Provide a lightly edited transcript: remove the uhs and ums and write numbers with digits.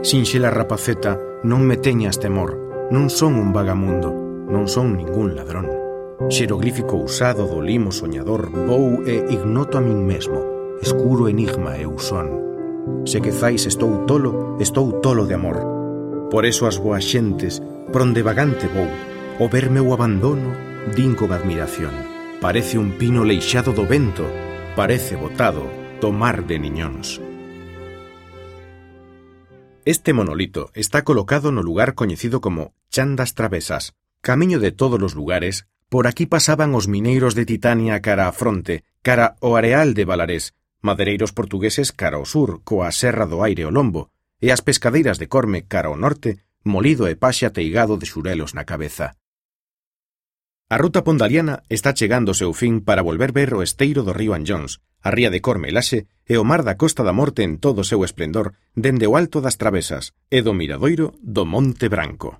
Sinxela rapaceta, non me teñas temor, non son un vagamundo, non son ningún ladrón. Xeroglífico usado do limo soñador, vou e ignoto a min mesmo, escuro enigma eu son. Se quezais estou tolo de amor. Por eso as boas xentes, pronde vagante vou, o ver meu abandono, din con admiración. Parece un pino leixado do vento, parece botado do mar de Niñóns. Este monolito está colocado no lugar coñecido como Chan das Travesas, camiño de todos os lugares. Por aquí pasaban os mineiros de Titania cara a fronte, cara ao areal de Valarés, madeireiros portugueses cara ao sur, coa serra do Aire o lombo, e as pescadeiras de Corme cara ao norte, molido e paxe ateigado de xurelos na cabeza. A ruta pondaliana está chegando ao seu fin para volver ver o esteiro do río Anllóns, a ría de Corme e Laxe e o mar da Costa da Morte en todo o seu esplendor dende o alto das Travesas e do miradoiro do Monte Branco.